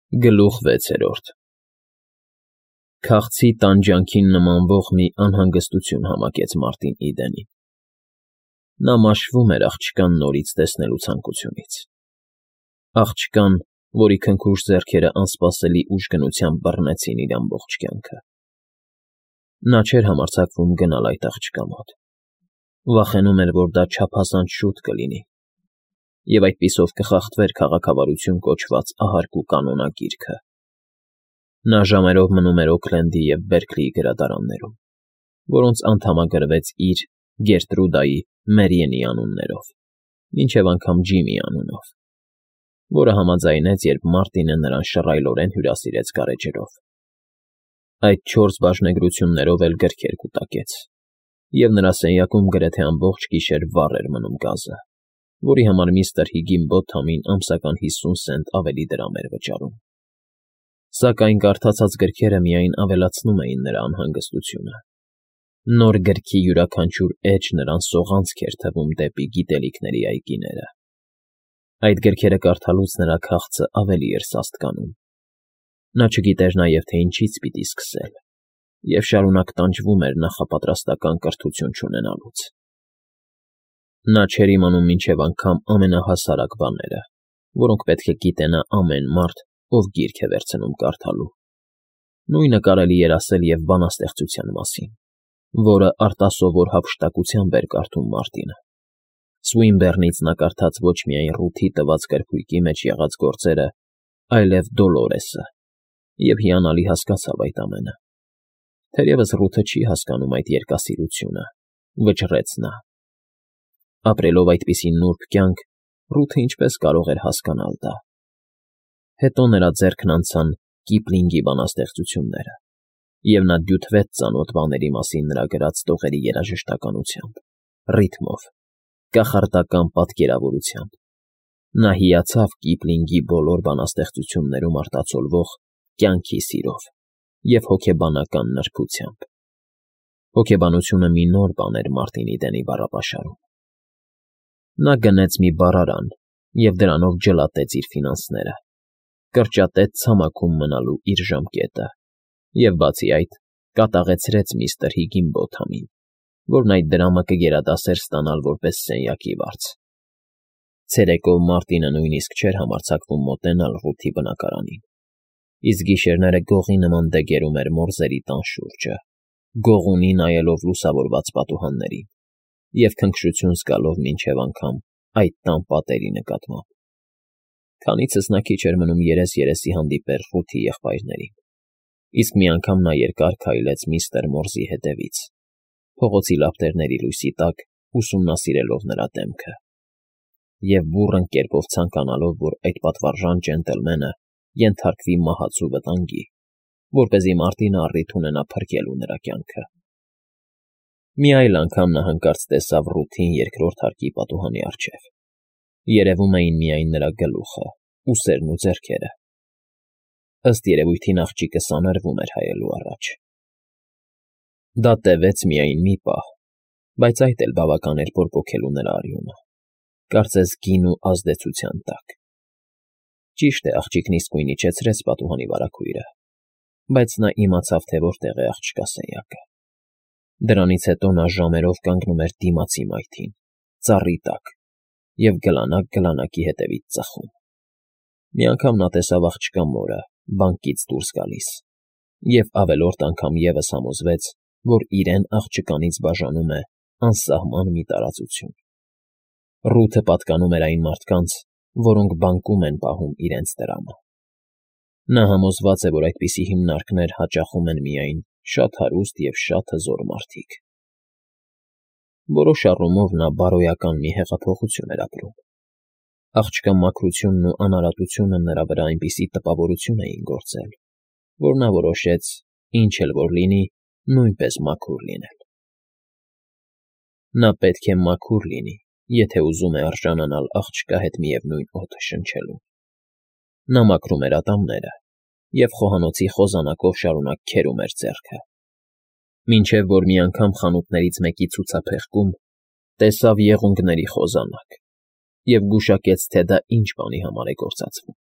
Գլուխ 6 Քաղցի տանջանքին նմանվող մի անհանգստություն համակեց Մարտին Իդենին. նա մաշվում էր աղջկան նորից տեսնելու ցանկությունից, աղջկան, որի քնքուշ ձեռքերը անսպասելի ուժգնությամբ բռնեցին իր ամբողջ կյանքը. նա չէր համարձակվում գնալ այդ աղջկա մոտ, վախենում էր, որ դա չափազանց շուտ կլինի, և այդպիսով կխախտվեր քաղաքավարություն կոչված ահարկ ու կանոնագիրքը. նա ժամերով մնում էր Օքլենդի և Բերքլիի գրադարաններում, որոնց անդամագրվեց իր, Գերտրուդայի, Մերիենի անուններով, մինչև անգամ Ջիմի անունով, որը համաձայնեց, երբ Մարտինը նրան շռայլորեն հյուրասիրեց գարեջրով. այդ 4 բաժնեգրություններով էլ գրքեր կուտակեց, և նրա սենյակում գրեթե ամբողջ գիշեր վառ էր մնում գազը, որի համար միստր Հիգինբոթամին ամսական 50 սենտ ավելի դրամ էր վճարում. Սակայն կարդացած գրքերը միայն ավելացնում էին նրա անհանգստությունը. նոր գրքի յուրաքանչյուր էջ նրան սողանցք էր թվում դեպի գիտելիքների այգիները. այդ գրքերը կարդալուց նրա քաղցը ավելի էր սաստկանում. նա չգիտեր նաև, թե ինչից պիտի սկսել, և շարունակ տանջվում էր նախապատրաստական կրթություն չունենալուց. նա չէր իմանում մինչև անգամ ամենահասարակ բաները, որոնք պետք է գիտենա ամեն մարդ, ով գիրք է վերցնում կարդալու. նույնը կարելի էր ասել և բանաստեղծության մասին, որը արտասովոր հափշտակությամբ էր կարդում Մարտինը. Սուինբեռնից նա կարդաց ոչ միայն Ռութի տված գրքույկի մեջ եղած գործերը, այլև Դոլորեսը, և հիանալի հասկացավ այդ ամենը. թերևս Ռութը չի հասկանում այդ երկասիրությունը, վճռեց նա. ապրելով այդպիսի նուրբ կյանք, Ռութը ինչպես կարող էր հասկանալ դա. հետո նրա ձեռքն անցան Կիպլինգի բանաստեղծությունները, և նա դյութվեց ծանոթ բաների մասին նրա գրած տողերի երաժշտականությամբ, ռիթմով, կախարդական պատկերավորությամբ. նա հիացավ Կիպլինգի բոլոր բանաստեղծություններում արտացոլվող կյանքի սիրով և հոգեբանական նրբությամբ. հոգեբանությունը մի նոր բան էր Մարտին Իդենի բառապաշարում. նա գնեց մի բառարան և դրանով ջլատեց իր ֆինանսները, կրճատեց ցամաքում մնալու իր ժամկետը և, բացի այդ, կատաղեցրեց միստր Հիգինբոթամին, որն այդ դրամը կգերադասեր ստանալ որպես սենյակի վարձ. ցերեկով Մարտինը նույնիսկ չէր համարձակվում մոտենալ Ռութի բնակարանին, իսկ գիշերները գողի նման դեգերում էր մորզերի տան շուրջը, գողունի նայելով լուսավորված պատուհաններին և քնքշություն զգալով մինչև անգամ այդ տան պատերի նկատմամբ. քանիցս նա քիչ էր մնում երես-երեսի հանդիպեր Ռութի եղբայրներին, իսկ մի անգամ նա երկար քայլեց միստր Մորզի հետևից, փողոցի լապտերների լույսի տակ ուսումնասիրելով նրա դեմքը, և բուռն կերպով ցանկանալով, որ այդ պատվարժան ջենտլմենը ենթարկվի մահացու վտանգի, որպեսզի Մարտինը առիթ ունենա փրկելու նրա կյանքը. մի այլ անգամ նա հանկարծ տեսավ Ռութին երկրորդ հարկի պատուհանի առջև. երևում էին միայն նրա գլուխը, ուսերն ու ձեռքերը. ըստ երևույթին աղջիկը սանրվում էր հայելու առաջ. դա տևեց միայն մի պահ, բայց այդ էլ բավական էր բորբոքելու նրա արյունը, կարծես գին ու ազդեցության տակ. ճիշտ է, աղջիկն իսկույն իջեցրեց պատուհանի վարագույրը, բայց նա իմացավ, թե որտեղ է աղջկա սենյակը. դրանից հետո նա ժամերով կանգնում էր դիմացի մայթին, ծառի տակ, և գլանակ-գլանակի հետևից ծխում. մի անգամ նա տեսավ աղջկա մորը բանկից դուրս գալիս և ավելորդ անգամ ևս համոզվեց, որ իրեն աղջկանից բաժանում է անսահման մի տարածություն. Ռութը պատկանում էր այն մարդկանց, որոնք բանկում են պահում իրենց տրամը. նա համոզված է, որ այդպիսի հիմնարկներ հաճախում են միայն շատ հարուստ և շատ հզոր մարդիկ. որոշ առումով նա բարոյական մի հեղափոխություն էր ապրում. աղջկա մաքրությունն ու անարատությունը նրա վրա այնպիսի տպավորություն էին գործել, որ նա որոշեց, ինչ էլ որ լինի, նույնպես մաքուր լինել. նա պետք է մաքուր լինի, եթե ուզում է արժանանալ աղջկա հետ միևնույն օդը շնչելուն. նա մաքրում էր ատամները և խոհանոցի խոզանակով շարունակ քերում էր ձեռքը, մինչև որ մի անգամ խանութներից մեկի ցուցափեղկում տեսավ եղունգների խոզանակ և գուշակեց, թե դա ինչ բանի համար է գործածվում.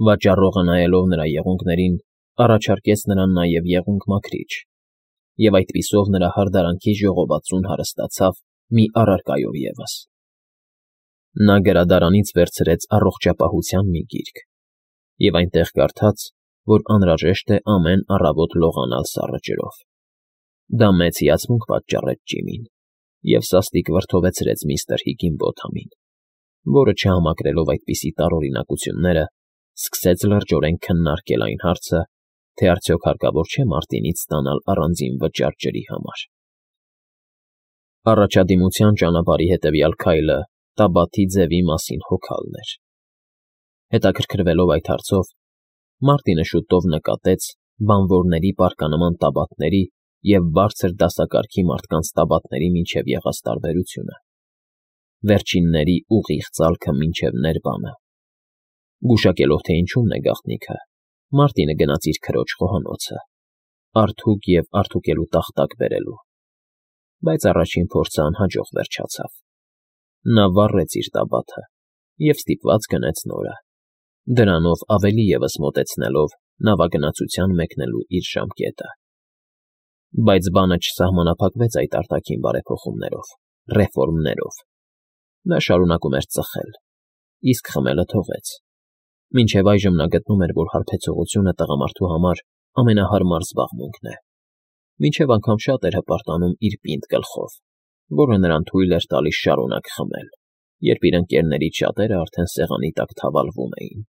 Վաճառողը նայելով նրա եղունգներին, առաջարկեց նրան նաև եղունգ մաքրիչ, և այդպիսով նրա հարդարանքի ժողովածուն հարստացավ մի առարկայով ևս։ Նա գրադարանից վերցրեց առողջապահության մի գիրք և այնտեղ կարդաց, որ անհրաժեշտ է ամեն առավոտ լողանալ սառը ջրով։ Դա մեծ հիացմունք պատճառեց Ջիմին և սաստիկ վրդովեցրեց միստր Հիգինբոթամին, որը, չհամակրելով այդպիսի տարօրինակությունները, սկսեց լրջորեն քննարկել այն հարցը, թե արդյոք հարկավոր չէ Մարտինից ստանալ առանձին վճար ջրի համար։ Առաջադիմության ճանապարհի հետևյալ քայլը Տաբաթի ձևի մասին հոգալն էր։ Հետաքրքրվելով այդ հարցով, Մարտինը շուտով նկատեց բանվորների պարկանման տաբատների և բարձր դասակարգի մարդկանց տաբատների միջև եղած տարբերությունը։ Վերջինների ուղիղ ծալքը մինչև ներբանը։ Գուշակելով, թե ինչումն է գաղտնիքը, Մարտինը գնաց իր քրոջ խոհանոցը, արթուկ և արթուկելու տախտակ բերելու, բայց առաջին փորձը անհաջող վերջացավ։ Նա վառեց իր տաբաթը և ստիպված գնեց նորը, դրանով ավելի ևս մոտեցնելով նավագնացության մեկնելու իր ժամկետը։ Բայց բանը չսահմանափակվեց այդ արտաքին բարեփոխումներով, ռեֆորմներով։ Նա շարունակում էր ծխել, իսկ խմելը թողեց։ Մինչև այժմ նա գտնում էր, որ հարբեցողությունը տղամարդու համար ամենահարմար զբաղմունքն է, մինչև անգամ շատ էր հպարտանում իր պինդ գլխով, որը նրան թույլ էր տալիս շարունակ խմել, երբ իր ընկերներից շատերը արդեն սեղանի տակ թավալվում էին։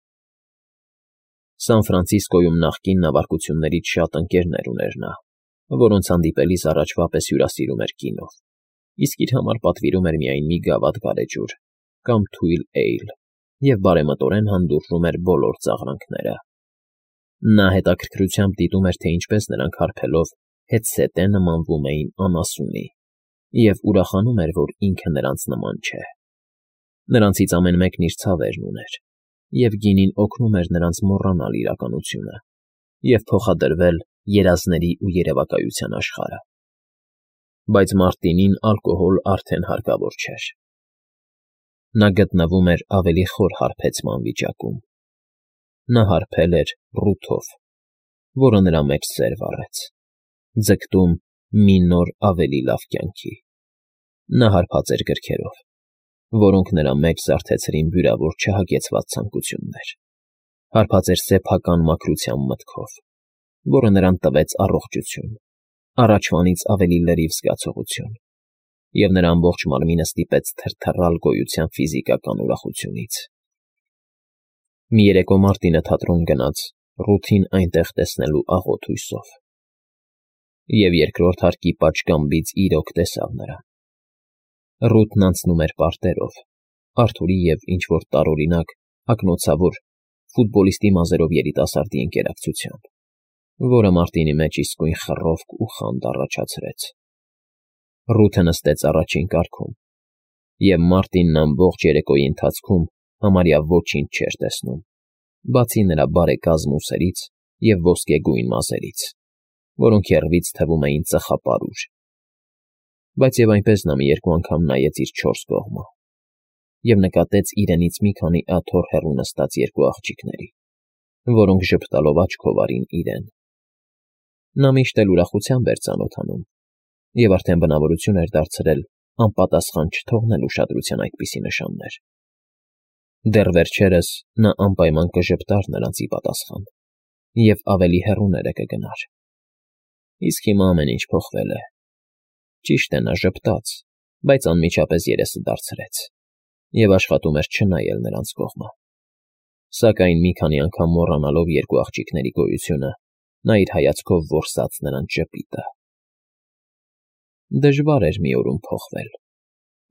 Սան Ֆրանցիսկոյում նախկին նավարկություններից շատ ընկերներ ուներ նա, որոնց հանդիպելիս առաջվա պես հյուրասիրում էր գինով, իսկ իր համար պատվիրում էր միայն մի գավաթ գարեջուր կամ թույլ էյլ և բարեմտորեն հանդուրժում էր բոլոր ծաղրանքները։ Նա հետաքրքրությամբ դիտում էր, թե ինչպես նրանք հարբելով հետզհետե նմանվում էին անասունի, և ուրախանում էր, որ ինքը նրանց նման չէ։ Նրանցից ամեն մեկն իր ցավերն ուներ, և գինին օգնում էր նրանց մոռանալ իրականությունը և փոխադրվել երազների ու երևակայության աշխարհը։ Բայց Մարտինին ալկոհոլ արդեն հարկավոր չէր։ Նա գտնվում էր ավելի խոր հարբեցման վիճակում։ Նա հարբել էր ռութով, որը նրա մեջ սեր վառեց, ձգտում մի նոր ավելի լավ կյանքի։ Նա հարբած էր գրքերով, որոնք նրա մեջ զարթեցրին վիրավոր չհագեցված ցանկություններ, հարբած էր սեփական մաքրության մտքով, որը նրան տվեց առողջություն, առաջվանից ավելի լրիվ զգացողություն, և նրա ամբողջ մարմինը ստիպեց թրթռալ գոյության ֆիզիկական ուրախությունից։ Մի երեկո Մարտինը թատրոն գնաց Ռութին այնտեղ տեսնելու աղոտ հույսով, և երկրորդ հարկի պատշգամբից իրոք տեսավ նրան։ Ռութն անցնում էր պարտերով, Արթուրի և ինչ-որ տարօրինակ, ակնոցավոր, ֆուտբոլիստի մազերով երիտասարդի ընկերակցությամբ, որը Մարտինի մեջ իսկույն խռովք ու խանդ առաջացրեց։ Ռութը նստեց առաջին կարգում, և Մարտինն ամբողջ երեկոյի ընթացքում համարյա ոչինչ չէր տեսնում, բացի նրա բարեկազմ ուսերից և ոսկեգույն մազերից, որոնք եռվից թվում էին ծխապարուր։ Բայց և այնպես նա մի երկու անգամ նայեց իր չորս կողմը և նկատեց իրենից մի քանի աթոռ հեռու նստած երկու աղջիկների, որոնք ժպտալով աչքով արին իրեն։ Նա միշտ էլ ուրախությամբ էր ծանոթանում և արդեն բնավորություն էր դարձրել անպատասխան չթողնել ուշադրության այդպիսի նշաններ։ Դեռ վերջերս նա անպայման կժպտար նրանց ի պատասխան և ավելի հեռուները կգնար։ Իսկ հիմա ամեն ինչ փոխվել է։ Ճիշտ է, նա ժպտաց, բայց անմիջապես երեսը դարձրեց և աշխատում էր չնայել նրանց կողմը։ Սակայն մի քանի անգամ մոռանալով երկու աղջիկների գոյությունը, նա իր հայացքով որսաց նրանց ժպիտը։ Դժվար էր մի օրում փոխվել։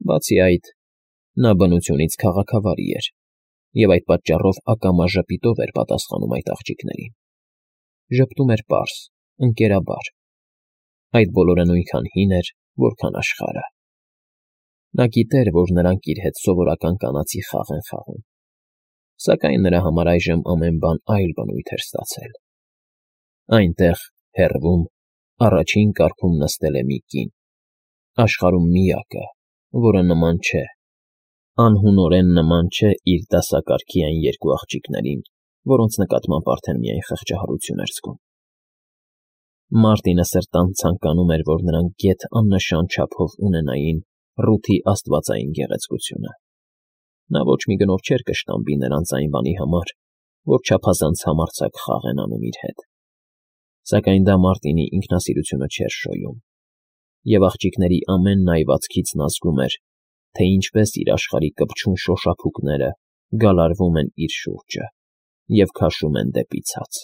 Բացի այդ, նա բնությունից քաղաքավարի էր և այդ պատճառով ակամա ժպիտով էր պատասխանում այդ աղջիկներին։ Ժպտում էր պարզ, ընկերաբար։ Այդ բոլորը նույնքան հին էր, որքան աշխարհը։ Նա գիտեր, որ նրանք իր հետ սովորական կանացի խաղ են խաղում, սակայն նրա համար այժմ ամեն բան այլ բնույթ էր ստացել։ Այնտեղ, հեռվում, առաջին կարգում նստել է մի կին, աշխարհում միակը, որը նման չէ, անհունորեն նման չէ իր դասակարգի այն երկու աղջիկներին, որոնց նկատմամբ արդեն միայն խղճահարություն էր զգում։ Մարտինը սրտան ցանկանում էր, որ նրանք գեթ աննշան չափով ունենային Ռութի աստվածային գեղեցկությունը։ Նա ոչ մի գնով չէր կշտամբի նրանց այն բանի համար, որ չափազանց համարձակ խաղ են անում իր հետ։ Սակայն դա Մարտինի ինքնասիրությունը չէր շոյում, և աղջիկների ամեն նայվածքից նա զգում էր, թե ինչպես իր աշխարհի կպչուն շոշափուկները գալարվում են իր շուրջը և քաշում են դեպի ցած։